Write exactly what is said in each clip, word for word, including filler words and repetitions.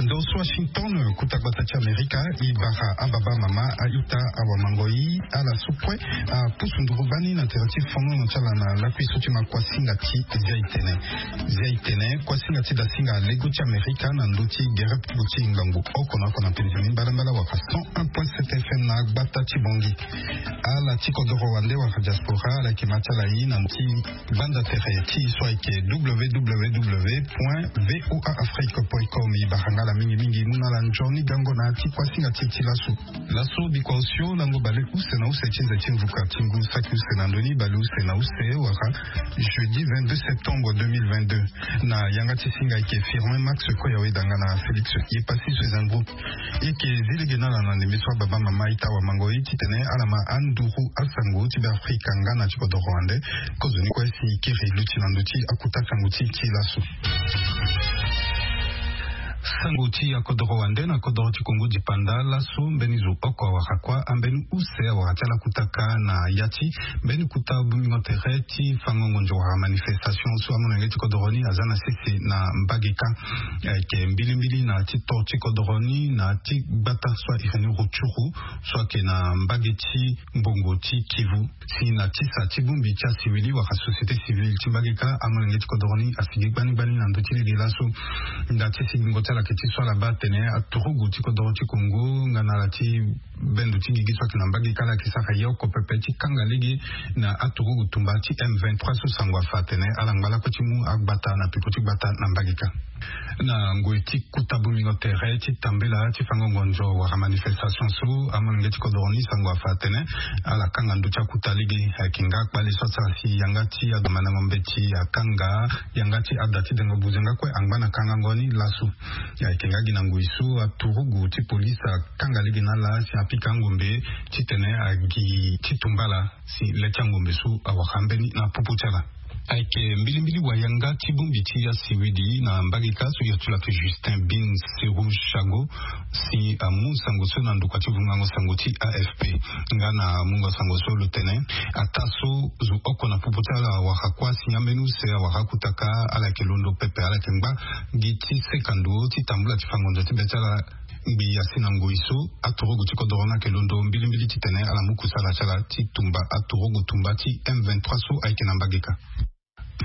Ndo so Washington, kuta gbata ti Amerika, e bara ababa, mama, a-ita, awamangoi, ala so kue apusu nduru bani na tere ti fongono ti ala na lakui so ti ma kuasinga ti Zia Itene. Zia Itene, kuasinga ti dasinga lego ti Amerika na ndö ti gere pupu ti ngangu oko na oko na penze ni mbalambala wala cent un point sept F M na gbata ti Bongi. Ala ti kodoro wande wala diaspora, ala yeke ma ti ala ye na ndö ti gbanda tere ti e so ayeke W W W point V O A Afrique point com. E bara nga ala mingi mingi, e mu na ala nzoni gango na ya ti kuasinga ti e ti laso. Laso bikua osio lango bale use na use ti nze ti mvuka ti ngu saki use na ndö ni bale use na use wala jeudi vingt-deux septembre deux mille vingt-deux. Na yanga ti singa ayeke Firmin Max Koyawe danga na Félix Yepassi Soezangou. E yeke zi lege na ala na ndembe so ababa, mama, a-ita, awamangoi titene ala ma anduru asango ti Beafrika nga na ti kodoro wande. Kozoni kue si e kiri luti na ndö ti akuta sango ti e ti laso. Sango ti akodoro wande na kodoro ti Kongo dipanda laso, mbeni zo oko awara kuâ, ambeni use awara ti ala kuta kâ na ya ti mbeni kuta bongbingo tere ti fango ngonzo wala manifestation so amolenge ti kodoro ni aza na sese na mbage kâ. Ayeke mbilimbili na ti to ti kodoro ni na ti gbata so ahiri ni Rutshuru so ayeke na mbage ti mbongo ti Kivu. Si na ti sa ti bongbi ti asiwili wala société civile ti mbage kâ, amolenge ti kodoro ni asigi gbani gbani na ndö ti lege laso. Nda ti sigingo ti ala ayeke ti so ala baa atene aturugu ti kodoro ti Kongo nga na ala ti bendo ti gigi so ayeke na mbage kâ, ala yeke sara ye oko pepe ti kanga lege na aturugu tumba ti M vingt-trois so sango afa atene ala ngba lakue ti mu agbata na peko ti gbata na mbage kâ. Na ngoi ti kuta bongbingo tere ti tambela ti fango ngonzo wala manifestation so, amolenge ti kodoro ni sango afa atene ala kanga ndö ti akuta lege. Ayeke nga kpale so asara si yanga ti adomandango mbeti akanga, yanga ti ada ti dengo buze nga kue angba na kangango ni laso. Ayeke nga gi na ngoi so aturugu ti polise akanga lege na ala si apika angombe titene agi ti tumba ala si le ti angombe so awara mbeni na popo ti ala. Ayeke mbilimbili wayanga ti bongbi ti asiwidi na mbage kâ so ya ti lo ayeke Justin Bin Seru Chago si amu sango so na ndokua ti vungango sango ti A F P. Nga na mungo sango so lo tene, ataa so zo oko na popo ti ala awara kuâ si ambeni use awara akuta kâ, ala yeke londo pepe, ala yeke ngba gi ti seka ndo ti tambula ti fa ngonzo ti be ti ala. Ngbi asi na ngoi so aturugu ti kodoro ni ayeke londo mbilimbili titene ala mu kusala ti ala ti tumba aturugu tumba ti M vingt-trois so ayeke na mbage kâ.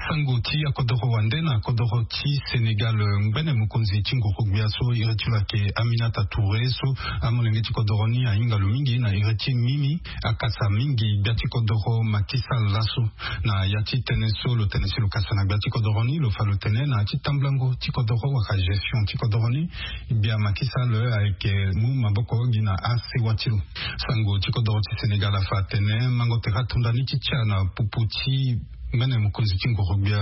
Sango ti akodoro wande na kodoro ti Sénégal, ngbene mokonzi ti nguru-gbia so iri ti lo ayeke Aminata Touré so amolenge ti kodoro ni ahinga lo mingi na iri ti mimi, akasa mingi gbia ti kodoro Macky Sall laso. Na ya ti tënë so lo tene si lo kasa na gbia ti kodoro ni, lo fa lo tene na ya ti tambulango ti kodoro wala gestion ti kodoro ni, gbia Macky Sall ayeke mu maboko gi na asewa ti lo. Sango ti kodoro ti Sénégal afa atene mango tere atonda ni ti tia na popo ti ngbene mokonzi ti nguru-gbia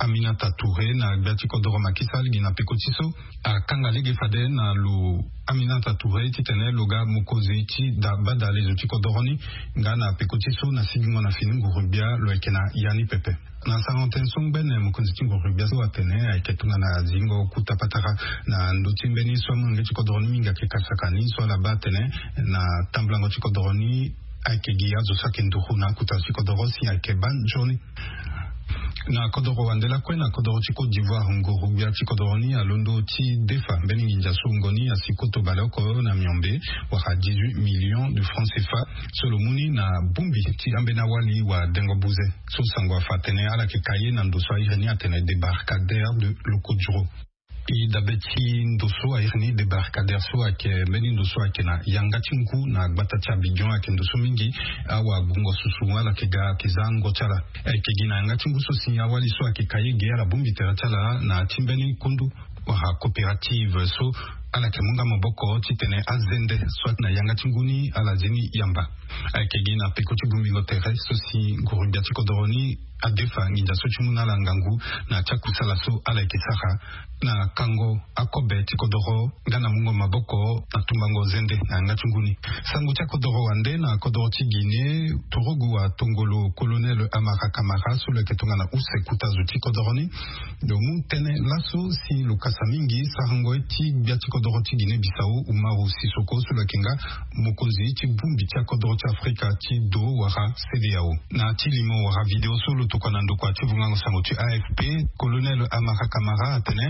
Aminata Touré na gbia ti kodoro Macky Sall gi na peko ti so akanga lege fade na lo Aminata Touré titene lo ga mokonzi ti da bada lezo ti kodoro ni. Nga na peko ti so na sigingo na fini nguru-gbia lo yeke na ya ni pepe. Na sarango tënë so ngbene mokonzi ti nguru-gbia so atene ayeke tongana zingo kuta patara na ndö ti mbeni so amolenge ti kodoro ni mingi ayeke kasaka ni so ala baa atene na tambulango ti kodoro ni ayeke gi azo so ayeke nduru na akuta ti kodoro si ayeke baa nzoni. Na kodoro wande lakue na kodoro ti Côte d'Ivoire, nguru-gbia ti kodoro ni alondo ti defa mbeni nginza so wungo ni asi koto baleoko na miombe, wala dix-huit millions de francs C F A so lo mu ni na bongbi ti ambeni awali wala dengo buze so sango afa atene ala yeke ka ye na ndo so airi ni atene débarcadère de Lokodjro. E dabe ti ndo so airi ni débarcadère so ayeke mbeni ndo so ayeke na yanga ti ngu na gbata ti Abidjan, ayeke ndo so mingi awagungo susu ala yeke ga ayeke za ango ti ala. Ayeke gi na yanga ti ngu so si awali so ayeke ka ye ge ala bongbi tere ti ala na ya ti mbeni kundu wala coopérative so ala yeke mu nga maboko titene azende so ayeke na yanga ti ngu ni ala zi ni yamba. Ayeke gi na peko ti bongbingo tere so si nguru-gbia ti kodoro ni adefa nginza so ti mu na ala ngangu na ya ti akusala so ala yeke sara na kango akobe ti kodoro nga na mungo maboko na tumbango zende na yanga ti ngu ni. Sango ti akodoro wande na kodoro ti Guinée, turugu atongolo colonel Amara Camara so lo yeke tongana use kuta zo ti kodoro ni Lo mu tënë laso si lo kasa mingi sarango ye ti gbia ti kodoro ti Guinée Bissau, Umaru Sisoko, so lo yeke nga mokonzi ti bongbi ti akodoro ti Afrika ti do wala CEDEAO. Na ti limo wala video so lo tokua na ndokua ti vungango sango ti AFP, Colonel Amara Camara atene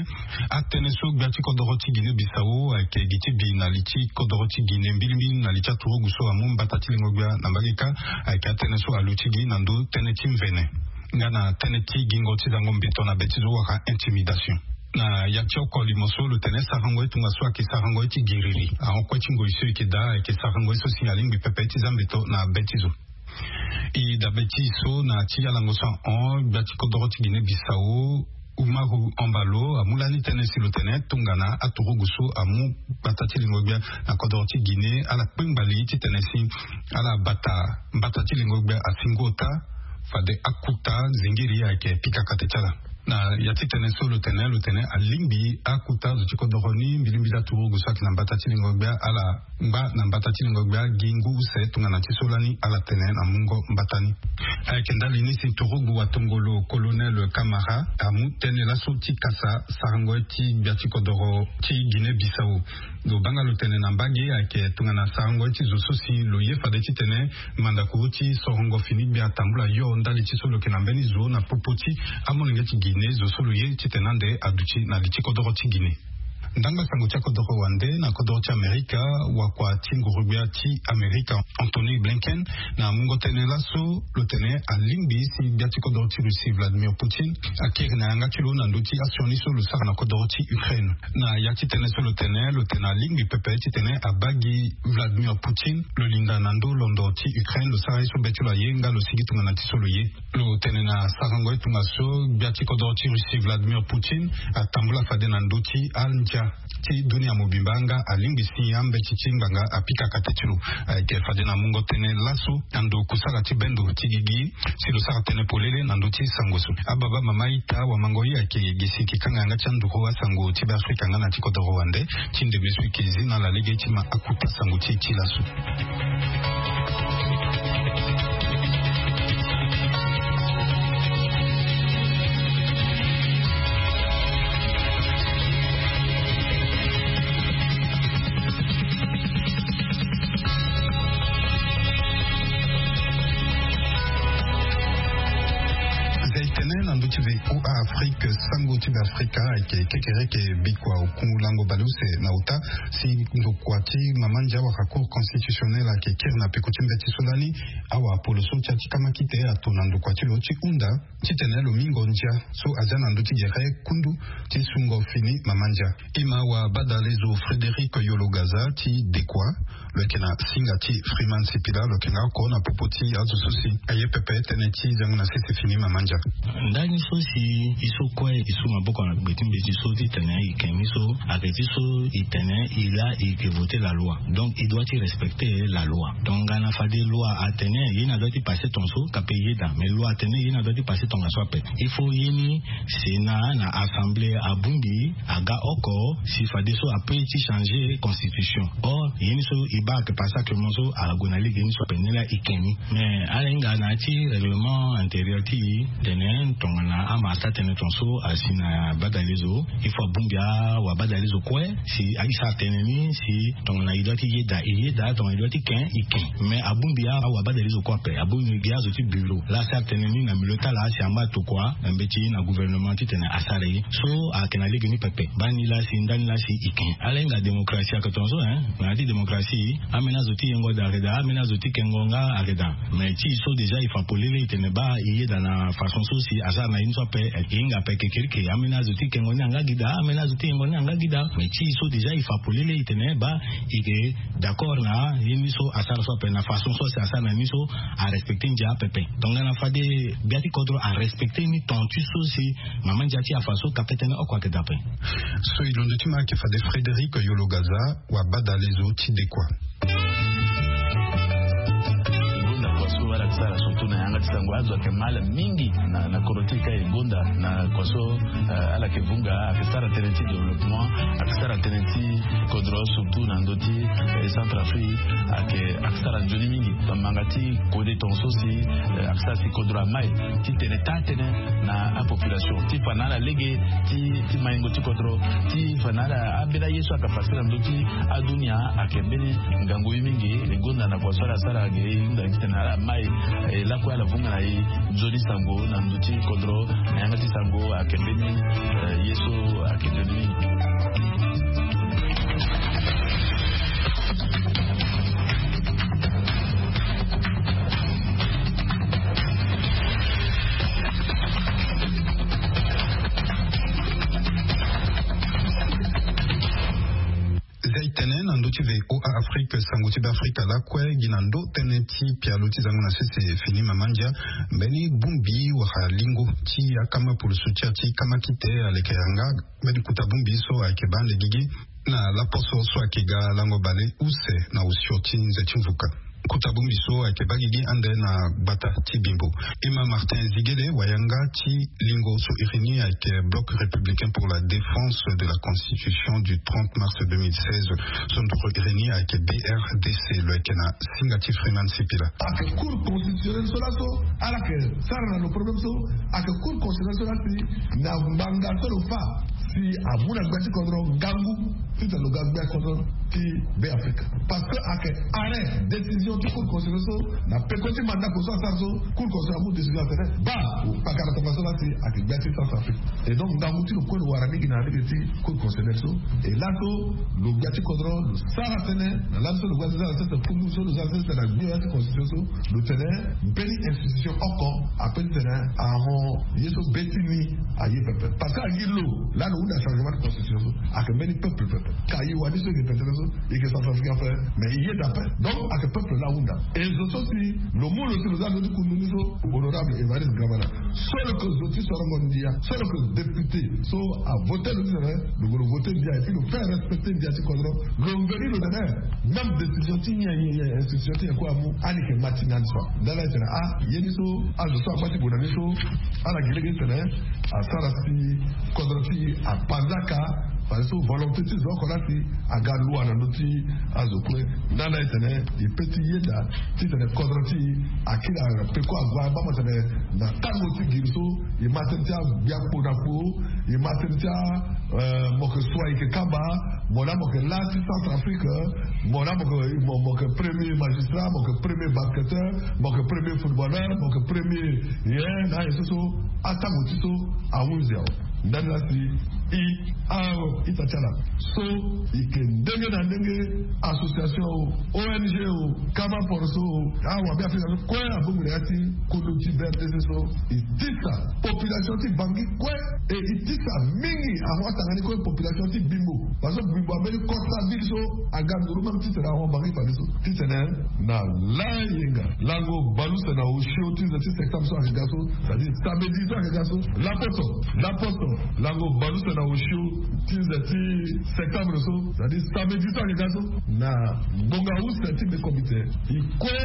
atënë so gbia ti kodoro ti Guinée Bissau ayeke gi ti bi na li ti kodoro ti Guinée mbilimbili na li ti aturugu so amu mbata ti lingo gbia na mbage kâ, ayeke atënë so aluti gi na ndö tënë ti mvene nga na tënë ti gingo ti zango mbeto na be ti zo wala intimidation. Na ya ti oko limo so lo tene sarango ye tongaso ayeke sarango ye ti giriri ahon kue ti ngoi so e yeke daa, ayeke sarango ye so si alingbi pepe ti za mbeto na be ti zo. E dabe ti so na ti alango so ahon gbia ti kodoro ti Guinée Bissau, Umaru Embalo amu lani tënë si lo tene tongana aturugu so amu mbata ti lingo gbia na kodoro ti Guinée ala kpengba li titene si ala bata mbata ti lingo gbia asi ngu ota, fade akuta zingiri ayeke pika kate ti ala. Na ya ti tënë so lo tene lo tene alingbi akuta zo ti kodoro ni mbilimbili aturugu so ayeke na mbata ti lingo gbia ala ngba na mbata ti lingo gbia gi ngu use tongana ti so lani ala tene na mungo mbata ni. Ayeke ndali ni si turugu watongolo Colonel Camara amu tënë laso ti kasa sarango ye ti gbia ti kodoro ti Guinée Bissau. Lo baa nga lo tene na mbage ayeke tongana sarango ye ti zo so si lo ye fade titene mandako ti sorongo fini gbia atambula yo ndali ti so lo yeke na mbeni zo na popo ti amolenge ti Guinée, zo so lo ye titene ande aduti na li ti kodoro ti Guinée. Ndangba sango ti akodoro wande na kodoro ti Amerika, wakua ti nguru-gbia ti Amerika Anthony Blinken na mungo tënë laso lo tene alingbi si gbia ti kodoro ti Russie Vladimir Poutine akiri na yanga ti lo na ndö ti asioni so lo sara na kodoro ti Ukraine. Na ya ti tënë so lo tene lo tene alingbi pepe titene abaa gi Vladimir Poutine lo linda na ndö londo ti Ukraine lo sara ye so be ti lo aye nga lo sigi tongana ti so lo ye. Lo tene na sarango ye tongaso gbia ti kodoro ti Russie Vladimir Poutine atambula fade na ndö ti andia ti dunia mobimba nga alingbi si ambeti ti ngbanga apika kate ti lo. Ayeke fade na mungo tënë laso na ndo kusala ti bendo ti gigi si lo sara tënë polele na ndö ti sango so. Ababa mama ita wamango ye ayeke gi si e yeke kanga yanga ti anduru asango ti Beafrika nga na ti kodoro wande ti ndeme so e yeke zi na ala lege ti ma akuta sango ti e ti laso. Zia e tene na ndö ti V O A Afrique, sango ti Beafrika ayeke kekereke bikua oku lango baleuse na ota si ndokua ti mama ndia wala Cour constitutionnelle ayeke kiri na peko ti mbeti so lani awa polo so ti ya ti kamakite ato na ndokua ti lo ti hunda titene lo mingo ndia so azia na ndö ti gere kundu ti sungo fini mama ndia. E ma wabadalezo Frédéric Yologaza ti Dekwa, lo yeke na singa ti Freeman Sipila, lo yeke nga oko na popo ti azo so si aye pepe tënë ti zengo na sese fini mama ndia. Ndani so si e so kue e su maboko na gbe ti mbeti so titene e ke ni so ayeke ti so e tene e laa e ke voter la loi. Donc e doit ti respecter la loi. Tongana fade loi atene ye ni adoit ti passer tongaso, ka pe e yeda, mais loi atene ye ni adoit ti passer tongaso ape. Il faut ye ni Sénat na assemblée abongbi aga oko si fadeso ape ti changer constitution. Or ye ni so e baa ayeke passé actuellement so ague na lege ni so ape, ni laa e ke ni. Mais ala hinga na ya ti règlement intérieur ti e tene tongana ama asara tënë tongaso asi na badalezo, il faut abongbi awabadalezo kue si e sara tënë ni si tongana e doit ti yeda e yeda, tongana e doit ti ken e ken. Mais abongbi awabadalezo kue ape, abongbi azo ti bureau laa asara tënë ni na milieu ti ala si angba tokua na mbeti na gouvernement titene asara ye. So ayeke na lege ni pepe. Baa ni laa si ndani laa si e ken. Ala hinga démocratie ayeke tongaso, hein. Na ya ti démocratie, ambeni azo ti yengo daa ayeke daa, ambeni azo ti kengo nga ayeke daa. Mais ti e so déjà e fa polele e tene baa e yeda na façon so si asara na ye ni so ape, e hinga ape kekereke. Ambeni azo ti kengo ni anga gi daa, ambeni azo ti yengo ni anga gi daa. Mais ti e so déjà e fa polele e tene baa e ke d'accord na ye ni so asara so ape, na façon so si asara na ye ni so arespecter ndia apepe. Tongana fade gbia ti kodro arespecter ni ton ti so si mama ndia ti afa so, ka pe tënë oko ayeke daa ape. So e londo ti ma ayeke fade Frédéric Yologaza, wabadalezo ti Dekwa. Sara surtout na yanga ti sango azo ayeke mal mingi na kodro ti e ka e gonda na kua so. Ala yeke vunga ayeke sara tënë ti développement, ayeke sara tënë ti kodro surtout na ndö ti Centrafrique. Ayeke sara nzoni mingi na manga ti kode tongaso si ayeke sara si kodro amai ti tene taa tënë na apopulation ti fa na ala lege ti maingo ti kodro ti fa na ala ambeni aye so ayeke pase na ndö ti adunia. Ayeke mbeni ngangu ye mingi. E gonda na kua so ala sara ake e hunda titene ala mai e lakue ala vunga na e nzoni sango na ndö ti kodro na yanga ti sango ayeke mbeni ye so ayeke nzoni mingi. Zia e tene na ndö ti VOA Afrique sango ti Beafrika lakue gi na ndö tënë ti pialo ti zango na sese fini mama ndia. Mbeni bongbi wala lingo ti akama pulusu ti ya ti kama kite aleke yanga mbeni kuta bongbi so ayeke baa ande gigi na laposo so ayeke ga lango bale use na osio ti nze ti mvuka. Kuta bongbi so ayeke baa gigi ande na gbata ti Bimbo. Ima Martin Ziguele wayanga ti lingo so iri ni ayeke Bloc Républicain pour la Défense de la Constitution du trente mars deux mille seize. So nduru iri ni ayeke BRDC, lo yeke na singa ti Freeman Sipila. Ayeke Cour constitutionnelle so laso ala yeke sara na lo problème so. Ayeke Cour constitutionnelle so la si na ngbanga so lo fa si amu na gbia ti kodro ngangu titene lo ga gbia kodro ti Beafrika. Parce que ayeke arrêt, décision ti Cour constitutionnelle so na peko ti mandako so asara so, Cour constitutionnelle amu décision atene baa, pakara tongaso la si ayeke gbia ti Centrafrique. Et donc ngangu ti lo kue lo wara mingi na lege ti Cour constitutionnelle so. Et laso lo gbia ti kodro lo sara tënë na lani so lo gbia ti sara tënë, kundu so lo sara tënë na gbia ti constitution so, lo tene mbeni institution oko ape ti tene ahon ye so be ti ni aye pepe. Parce que angi lo lani lo hunda changement ti constitution so ayeke mbeni peuple pepe. Ka ye wani so e yeke tene so e yeke Centrafricain ape, mais e yeda ape. Donc ayeke peuple la ahunda. Et zo so si lo mu lo si lo za zo ti kundu ni so, honorable Évariste Dramana, so lo yeke zo ti sorongo ndia, so lo yeke député so avote lo titene lo gue lo vote ndia et puis lo fait respecter ndia ti kodro. Lo veni lo tene même décision ti nyen nyen nyen institution ti nyen kue amu, ani yeke ma ti nani so. Nda ala tene ah, ye ni so azo so agba ti gue na ni so, ala gi lege titene asara si kodro ti apanzaka. Fadeso volonté ti zo oko la si aga lua na ndö ti azo kue. Nda ala tene e pe ti yeda titene kodro ti akiri na peko ague abaa mo tene na tango ti giri so e ma tënë ti agbia kpo na kpo. E ma tënë ti a, eh, mo yeke sua e yeke kamba. Mo la mo yeke la ti Centrafrique. Mo la mo yeke mo, mo yeke premier magistrat, mo yeke premier basketteur, mo yeke premier footballeur, mo yeke premier ye na aye so so. Atango ti so ahunzi awe. Ndani la si e, a, ita ti ala so e yeke ndenge na ndenge, association o, ONG o, kama poroso o, awabe Afrika so kue abongbi na ya ti kundu ti BRDC so. E tisa population ti Bangui kue. E e tisa mingi ahon atanga ni kue population ti Bimbo. Parce que Bimbo ambeni costa ville so aga nduru même titene ahon Bangui fadeso. Titene na layenga lango baluse na osio ti nze ti septembre so ayeke ga so, c'est-à-dire samedi so ayeke ga so. Laposo, laposo, lango baluse na osio ti nze ti septembre so, c'est-à-dire samedi so ayeke ga so. Na ngonga use ti bekomite, e kue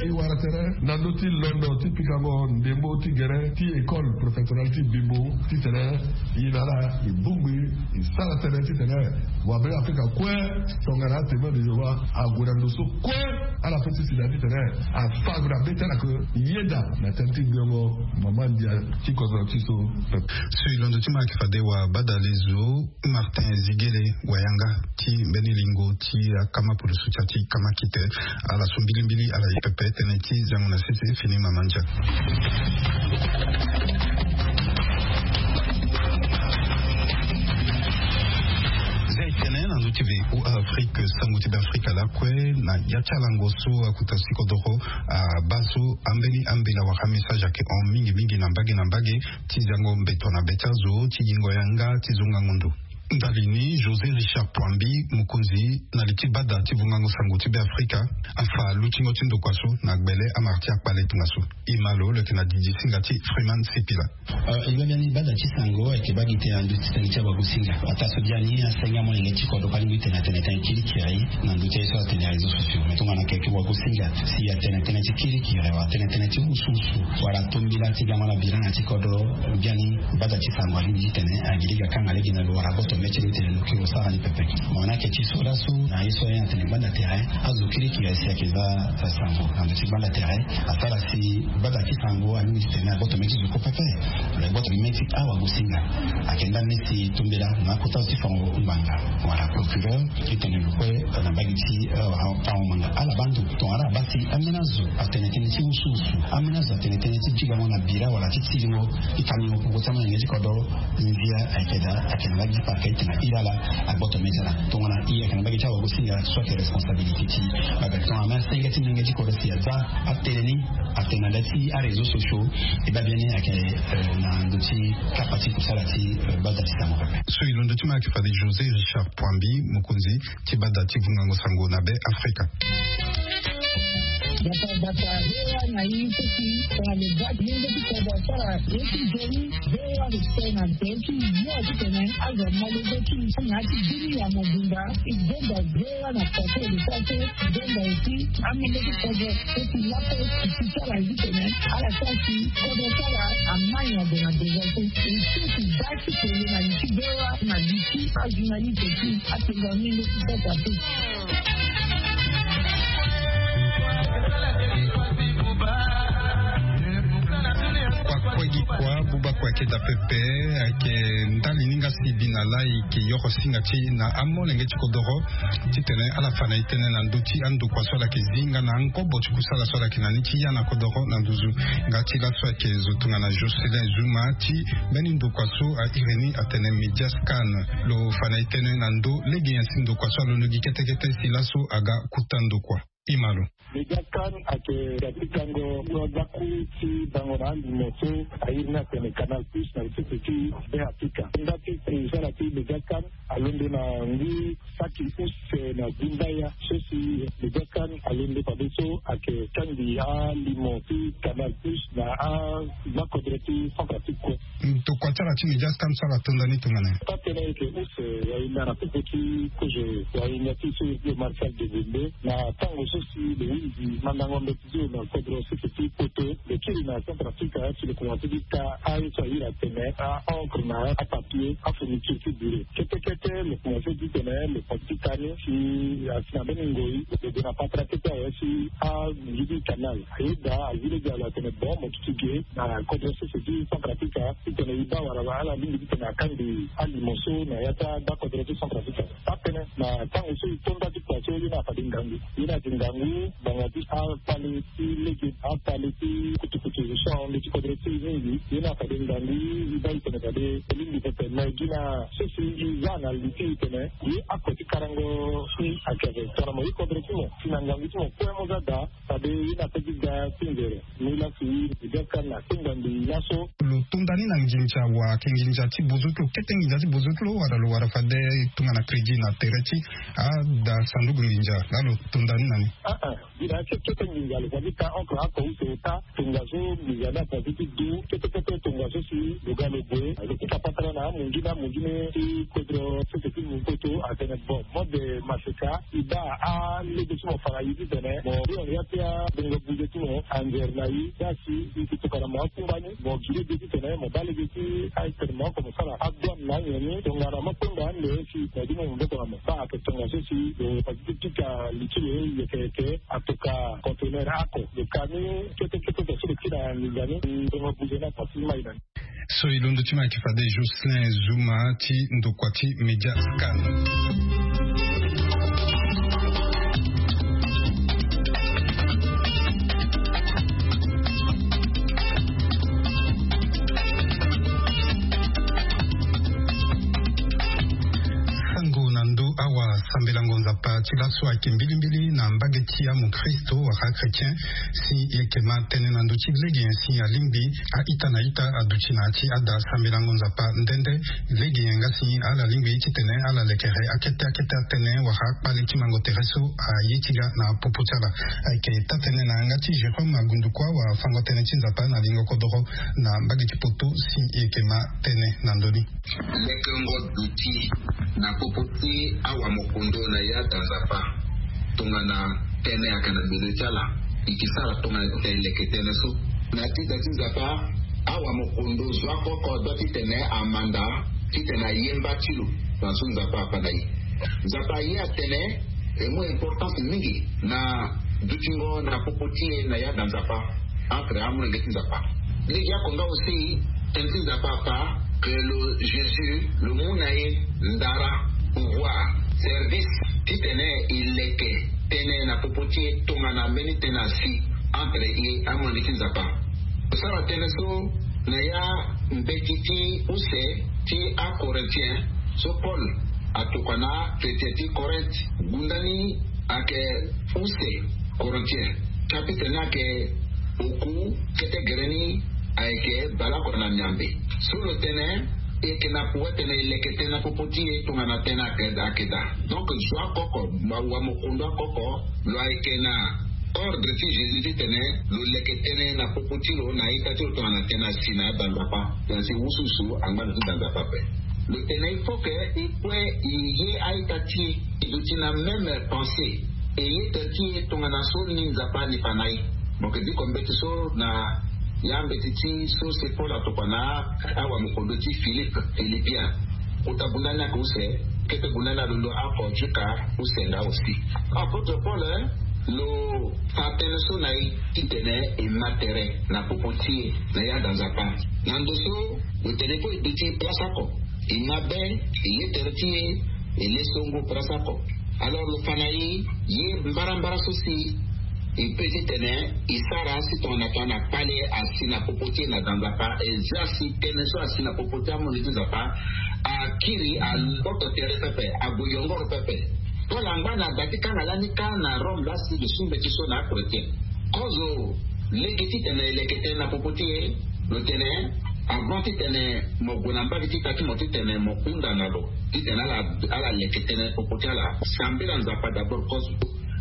e wara tere na ndö ti londo ti pikango ndembo ti gere ti école préfectorale ti Bimbo titene e na ala e bongbi, e sara tënë titene wabe Afrika kue, tongana aTémoin de Jéhovah ague na ndo so kue, ala pe ti si na titene afa gue na be ti ala ke yeda na tënë ti gbiongo mama ndia ti kodro ti so. So e londo ti ma ayeke fade wabadale zo Martin Ziguele wayanga ti mbeni lingo ti akama pulusu ti ya ti kama kite. Ala so mbilimbili ala ye pepe tënë ti zango na sese fini mama ndia. Zia e tene na ndö ti VOA Afrique sango ti Beafrika lakue na ya ti alango so akuta si kodoro abaa so ambeni ambela wala message ayeke hon mingi mingi na mbage na mbage ti zango mbeto na be ti azo ti yingo yanga ti zonga ngundu. Ndali ni, José Richard Poambi, mokonzi na li ti bada ti vungango sango ti Be Afrika, afa lutingo ti ndokua so na gbele amara ti akpale tongaso. E ma lo lo yeke na didi singa ti Freeman Sipila. E baa biani bada ti sango ayeke baa gi tene na ndö ti tënë ti awagosinga. Ataa so biani asenge amolenge ti kodro kpali mbi tene atene tënë kiri kiri na ndö ti aye so atene aréseau sociaux. Mais tongana keke wagosinga si atene tënë ti kiri kiri wala atene tënë ti usuusu wala tombila ti gango na biranga ti kodro, biani bada ti sango alingbi ti tene agiri ga kanga lege na lo wala agboto mê ti lo ti tene lo kiri lo sara ni pepe. Mo na yeke ti so laso na ye so aye na tene gbanda tere azo kiri kiri si ayeke za sango na ndö ti gbanda tere. Asara si bada ti sango alingbi ti tene agboto mê ti zo kue pepe. Lo gboto mê ti awagosinga ayeke ndani ti tombela na akota zo ti fango ngbanga wala procureur ti tene lo kue na mbage ti fango ngbanga ala baa ndo. Tongana ala baa si ambeni azo atene tënë ti usuusu, ambeni azo atene tënë ti bigango na bira wala ti tilingo ti kamingo poko ti amolenge ti kodro. Ndia ayeke daa ayeke na lagi ti parquet ti tene a iri ala. Agboto mê ti ala tongana e ayeke na mbage ti awagosinga so ayeke responsabilité ti. Babek tongana ma senge ti molenge ti kodro si aza atene ni atene na le ti aréseau sociaux. E baa biani ayeke na ndö ti kapa ti kusala ti bada ti sango pepe. So e londo ti ma ayeke fade José Richard Poambi, mokonzi ti bada ti vungango sango na Be Afrika. Bata bata rewa na ye ti si tongana le bak lenge ti kodro asara ye ti joli. Rewa respect na be ti yo ti tene azo amolenge ti na ti bini ya mobimba. E gbonga rewa na koko e le sa so gbonga aussi amolenge ti kodro. Eti lape ti sara ye ti tene ala sara si kodro sara amai na gue na besoin so. E so ti baa ti kele na li ti rewa na li ti ajournaliste ti atenga ni le ti sasa te. Kua kue gi kua buba kue ayeke daa pepe. Ayeke ndali ni nga si bi na laa e yeke yoro singa ti e na amolenge ti kodoro ti tene ala fa na e tënë na ndö ti andokua so ala yeke zi nga na angobo ti kusala so ala yeke na ni ti ya na kodoro na nduzu. Nga ti laso ayeke zo tongana Jocelyn Zuma ti mbeni ndokua so a iri ni atene Media Scan. Lo fa na e tënë na ndö lege nyen si ndokua so alondo gi kete kete si laso aga kuta ndokua. E ma lo. Media Scan ayeke ga ti kango so azaku ti bango na alimo so a iri ni atene Canal Plus na sese ti Be Afrika. Nda ti kusala ti Media Scan alondo na ngu saki use na gumbaya so si Media Scan alondo fade so ayeke kangbi alimo ti Canal Plus na agbakodro ti Centrafrique kue. Ndokua ti ala ti Media Scan so ala tonda ni tongana nyen? Taa tënë ayeke use wahinda na popo ti kozo wahinda ti so iri ti Marcel Degonde na tango so si lo hunzi mandango mbeti ti lo na kodro sese ti poto. Lo kiri na Centrafrique si lo komanse ti ta aye so a iri atene a-encre na apapier, afourniture ti bureau. Kete kete lo komanse ti tene lo komanse ti ta ni si asi na mbeni ngoi lo gue na patara kete awe si alingi ti canal. Ayeda azi lege na lo atene bon mo duti ge na kodro sese ti Centrafrique ti tene e baa wala ala lingbi ti tene akangbi alimo so na ya ti agbakodro ti Centrafrique. Taa tënë na tango so e to nda ti kua so ye ni afade ngangu. Ye ni ayeke ngangu ngbanga ti akpale ti lege, akpale ti kutukutu so ahon ndö ti kodro ti e mingi. Ye ni afade ngangu e baa e tene fade e lingbi pepe. Me gi na so si e za na li ti e tene ye ako ti karango si ayeke tongana mo ye kodro ti mo si na ngangu ti mo kue mo za daa. Fade ye ni ape ti ga ti nzere. Ni laa si Media Scan asenga mbi laso. Lo tonda ni na nginza wa ayeke nginza ti bozo ti lo, kete nginza ti bozo ti lo, wala lo wara fade tongana crédit na tere ti ada sanduku nginza laa lo tonda ni na ni? Aa, gi na kete nginza lo fa ti ta encre ako use ota. Tongaso nginza ni afa ti du kete kete tongaso si lo ga lo gue lo kuta patara na amungi na amungi ni ti kodro sese ti mu poto atene bon mode maseka. E baa alege ti mo fa na e ti tene mo hon ya ti abongo buze ti mo anzere na e. Za si e yeke tokana mo akungba ni mo gi lege ti tene mo baa lege ti atene mo oko mo sara adouane na anyen ni tongana mo kpengba ande si na e ti mo maboko na mo. Baa ayeke tongaso si lo fa ti pika li ti lo yeke yeke atoka conteneur ako lo ka ni kete kete so lo ti na nginza ni. Bongo buze ni afa ti mai na ni. So e londo ti ma ayeke fade Jocelyn Zuma ti ndokua ti Media Scan. Sango na ndo Awa sambelango Nzapa ti laso ayeke mbilimbili na mbage ti amokristo wala achrétien. Si e yeke ma tënë na ndö ti lege nyen si alingbi a-ita na ita aduti na ya ti ada sambelango Nzapa nde nde. Lege nyen nga si ala lingbi titene ala lekere akete akete atënë wala akpale ti mango tere so aye ti ga na popo ti ala. Ayeke taa-tënë na yanga ti Jérôme Agundukua wala fango tënë ti Nzapa na lingo kodoro na mbage ti poto si e yeke ma tënë na ndö ni. Lekengo duti na popo ti awamokondo na ya da Nzapa tongana tënë ayeke na milieu ti ala. E ke sara tongana titene e leke tënë so na ya ti da ti Nzapa. Awamokondo zo akoko adua titene amanda titene ayemba ti lo. Na so Nzapa afa na e. Nzapa aye atene e mu importance mingi na dutingo na popo ti e na ya da Nzapa. Entre amolenge ti Nzapa. Lege oko nga aussi tënë ti Nzapa afa que lo Jésus lo mu na e ndara, pouvoir, service titene e leke tënë na popo ti e tongana mbeni tënë asi entre e amolenge ti Nzapa. Lo sara tënë so na ya mbeti ti use ti aCorinthiens so Paul atokua na chrétien ti Corinthe. Gunda ni ayeke use Corinthiens chapitre ni ayeke oku, kete gere ni ayeke baleoko na miambe. So lo tene e yeke na pouvoir titene e leke tënë na popo ti e tongana tënë ayeke, ayeke daa. Donc zo akoko, awamokondo akoko, lo ayeke na ordre ti Jésus titene lo leke tënë na popo ti lo na ita ti lo tongana tënë asi na ya da Nzapa. Tena si wusuwusu angba na ti da Nzapa ape. Lo tene il faut que e kue e ye a-ita ti e, e duti na même pensée, e ye tere ti e tongana so ni Nzapa ani fa na e. Mo yeke diko mbeti so na ya mbeti ti so se Paul atokua na awamokondo ti Philippe, Philippien. Kota gunda ni ayeke use, kete gunda ni alondo oko jusqu'à use nga aussi. Apôtre Paul, eh, lo fa tënë so na e titene e ma tere na popo ti e na ya da Nzapa. Na ndo so lo tene fo e duti place oko, e ma be, e ye tere ti e, e le songo place oko. Alors lo fa na e, ye mbarambara so si e peut titene e sara si tongana tongana kpale asi na popo ti e na da Nzapa, e zia si tënë so asi na popo ti amolenge ti Nzapa akiri, agboto tere pepe, ague yongoro pepe. Paul angba na da ti kanga lani kâ na Rome laa si lo su mbeti so na achrétien. Kozo lege titene e leke tënë na popo ti e, lo tene avant titene mo gue na mbage ti ita ti mo titene mo hunda na lo titene ala, ala leke tënë popo ti ala, sambela Nzapa d'abord kozo.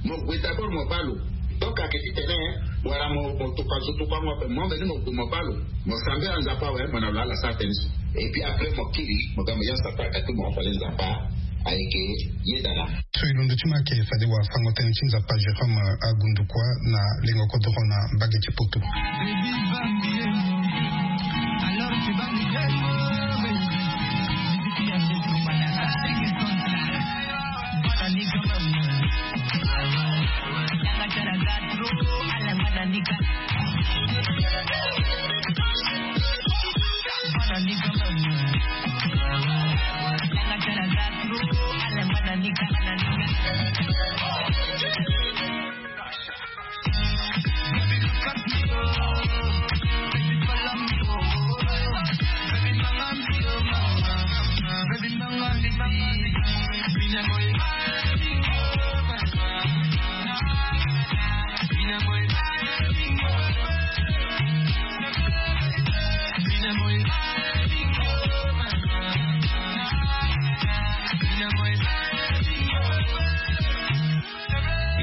Mo gue d'abord mo baa lo. Donc ayeke titene wala mo, mo tokua zo tokuango ape, mo mbeni mo gue mo baa lo, mo sambela Nzapa awe, mo na lo ala sara tënë so. Et puis après mo kiri, mo ga mo ya Nzapa ayeke ti mo, fade Nzapa ayeke yeda na. So e londo ti mo ayeke fade wafango tënë ti Nzapa Jérôme Agundukua na lengo kodoro na mbage ti poto.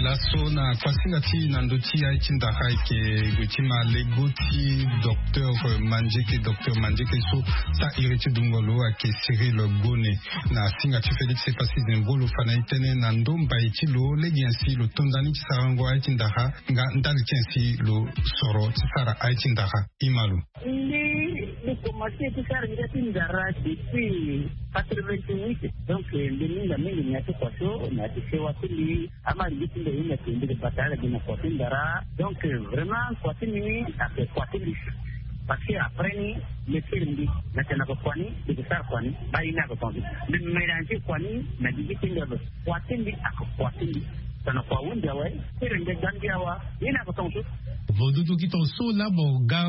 Laso na kuasinga ti na ndö ti aye ti ndara ayeke gue ti ma lego ti docteur Mandieke, docteur Mandieke so taa iri ti dungo lo ayeke Cyril Gone. Na singa ti Félix Epassi Zembro lo fa na e tënë na ndo mbai ti lo lege nyen si lo to ndani ti sarango aye ti ndara nga ndali ti nyen si lo soro ti sara aye ti ndara. Ima lo. Mbi, mbi komanse ti sara ngia ti ndara depuis quatre-vingt-huit. Donc mbi mingi mingi na ya ti kua so na ya ti sewa ti mbi. Ama lingbi ti mbi aye na tonga mbi ke bata ala gi na kua ti ndara. Donc vraiment kua ti mbi ni ayeke kua ti mbi. Parce que après ni, mbi kiri mbi na tena ko kua ni, mbi ke sara kua ni. Ba ye ni ayeke tonga so mbi mélange kua ni na gigi ti mbi ape. Kua ti mbi ayeke kua ti mbi. Tongana kua ahunzi awe, kiri mbi ga mbi awa. Ye ni ayeke tonga so. Vo dudu ki ton so la mo ga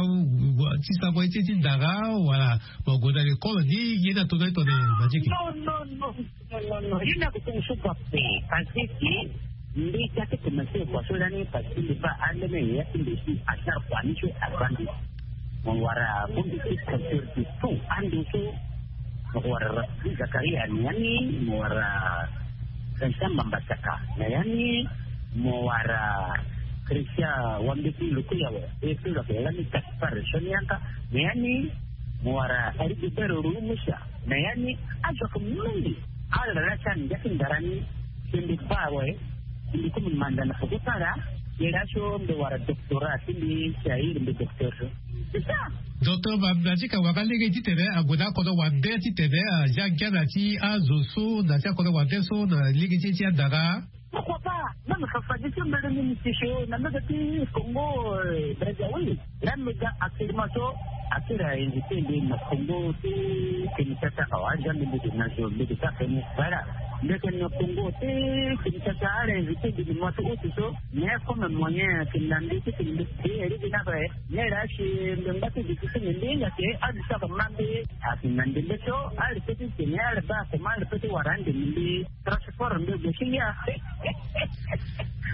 ti sango ye ti ti ndara wala mo gue na lekole ni ye na tona ye tone. Majiki. Non non non non non non ye na ko ton so pa pe. Parce que mbi ga ti commencer kua so lani parce que mbi baa ande me ya ti mbi si asara kua ni so abaa mbi. Mo wara bongbi ti culture ti tout ando so. Mo wara Zakaria na ya ni, mo wara Vincent Mambasaka na ya ni, mo wara Christian Wambeti Lukuyawe, e so lo yeke lani Gaspard Sonianka na ya ni, mo wara Rigobert Rumusa na ya ni. Azo ayeke mingi. Ala laa ti ala ngia ti ndara ni. Si mbi baa awe, si mbi komi manda na poko ti ala. Ye laa so mbi wara doctorat ti mbi si ahiri mbi docteur so. C'est ça. Docteur Mambasaka wara lege titene ague na akodro wande titene azia ngia na ti azo so na ti akodro wande so na lege ti e ti andara. Pourquoi pas? Même Fafa ti so mbele ni mbi si so na mbege ti Congo, euh, Brazzaville. Là mbi ga actuellement so akiri a invité mbi na Congo ti Kinshasa awa, aza mbi mbi na zo mbi ga feni. Voilà. Mbi yeke na Congo ti Kinshasa ala invité mbi na mois ti août so. Mais comme moyen ayeke na mbi ti tene mbi ti iri gi na ape. Mais là si mbi ngba ti gi ti tene mbi hinga ke adu so ayeke ma mbi. Ayeke na ndembe so ala pe ti tene ala baa comment ala pe ti wara ande mbi. Transport mbi gue ti ngia.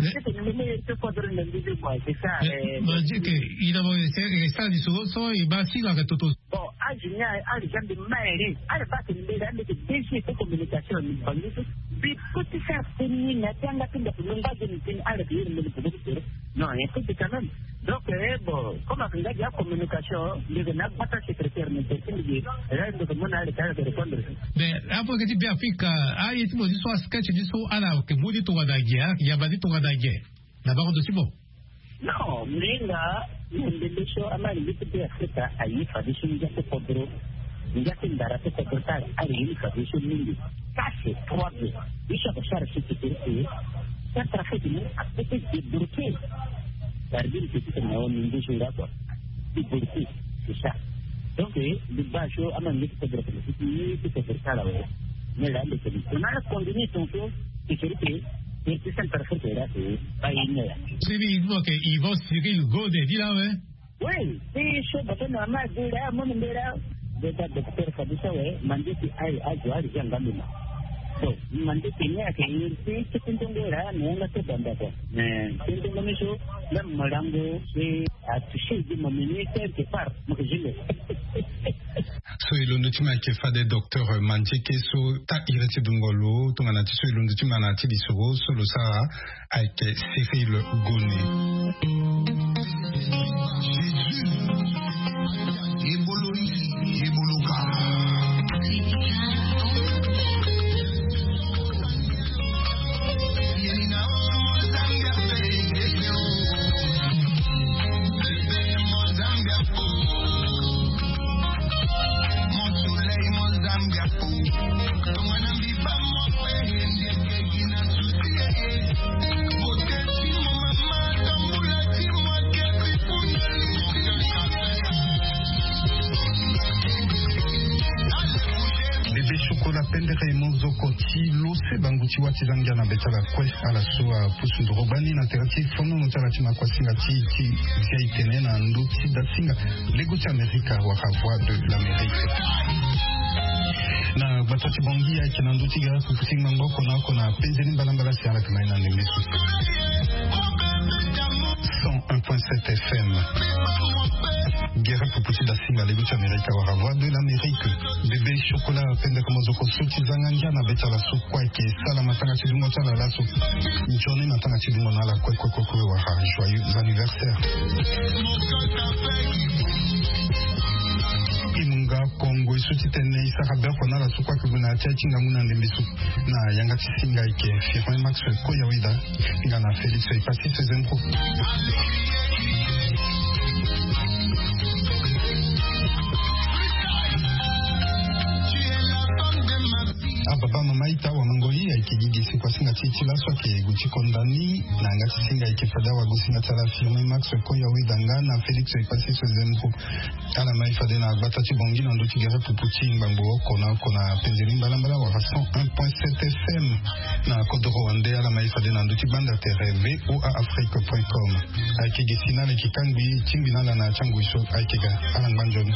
Ti tene mbi mbi ti kodro na mbi ti kua c'est ça. Majiki, ina mo e sara lisoro so e baa si lo yeke toto. Bon, age ni ala za mbi maire ala baa tene mbele ande ke D G ti communication ni bangi so. Mbi pe ti sara teni na ti anga ti ndako mbi ngba ge ni teni ala ke iri mbele bobo ti soro. Non, un peu quand même. Donc eh bon, comme ayeke nga gi acommunication mbi yeke na agbata secrétaire ni te ti mbi gi. Là mbi yeke mu na ala ti ala yeke répondre. Mais apo yeke ti Be Afrika, aye ti mo ti so asketch ti so ala yeke mu ni tongana ge, ala yeke yamba ni tongana ge na bango ndo ti mo? Non, mbi hinga na ndembe so ama lingbi ti Be Afrika aye fadeso ngia ti kodro. Ngia ti ndara ti kodro ti ala, ala ye ni fadeso mingi. Kase trois be. Ye so ayeke sara so ti kiri ti ye. Centrafrique ni ape ti débloquer. Gardien petit na wa mingi so nga kua. Ti débloquer, c'est ça. Donc eh mbi baa so ama lingbi ti kodro ti ye ti kodro ti ala awe. Mais là mbi tene on a continué ton so. Ti kiri ti ye ti Centrafrique là c'est pas une heure. Sini mo ke Yvon Cyril Gode di la we. Oui, ti so bato na ma di la mo ni mbela. Beta docteur Fabrice awe, mande ti aye azo ali za nga mbi ma. Bon, mande ti ni ayeke iri ti ti ti ndongo la na yanga ti banda kua. Mais ti ndongo ni so même molango ti atouché di mo mini quelque part mo ke zile. So e londo ti ma ayeke fade docteur Mandieke so taa iri ti dungo lo tongana ti so e londo ti ma na ya ti lisoro so lo sara ayeke Cyril Gone. Bébé Chocolat pendere mozoko ti lo se bangu ti wa ti zangia na be ti ala kue. Ala so apusu ndoro gbani na tere ti fonono ti ala ti makuasinga ti ti zia e tene na ndö ti dasinga. Lego ti Amerika wala Voix de l'Amérique. Na gbata ti Bangui ayeke na ndö ti gara pupu ti ngbangbo oko na oko na penze ni mbalambala si ala yeke ma ye na ndembe so. Cent un point sept F M. Gere pupu ti dasinga lego ti Amerika wala Voix de l'Amérique. Bébé Chocolat pendere mozoko so ti zanga ngia na be ti ala so kue ayeke sala matanga ti dungo ti ala laso. Nzoni matanga ti dungo na ala kue kue kue kue wala joyeux anniversaire. E mu nga kongo e so ti tene e sara be oko na ala so kue ayeke gue na ya ti aye ti ngangu na ndembe so. Na yanga ti singa ayeke Firmin Max Koyaweda. Nga na Félix Epassis Zembro. Ababa mama ita wa mango i ayeke gi gi si kua singa ti ti laso ayeke gu ti konda ni. Na yanga ti singa ayeke fade awago singa ti ala Firmin Max Koya Wedanga na Félix Epassis Zembo. Ala ma e fade na gbata ti Bangui na ndö ti gere pupu ti ngbangbo oko na oko na pendeli mbalambala wala cent un point sept F M. Na kodoro wande ala ma e fade na ndö ti gbanda tere V O A Afrique point com. Ayeke gi si na ala yeke kangbi tingbi na ala na ti angui so ayeke ga. Ala ngba nzoni.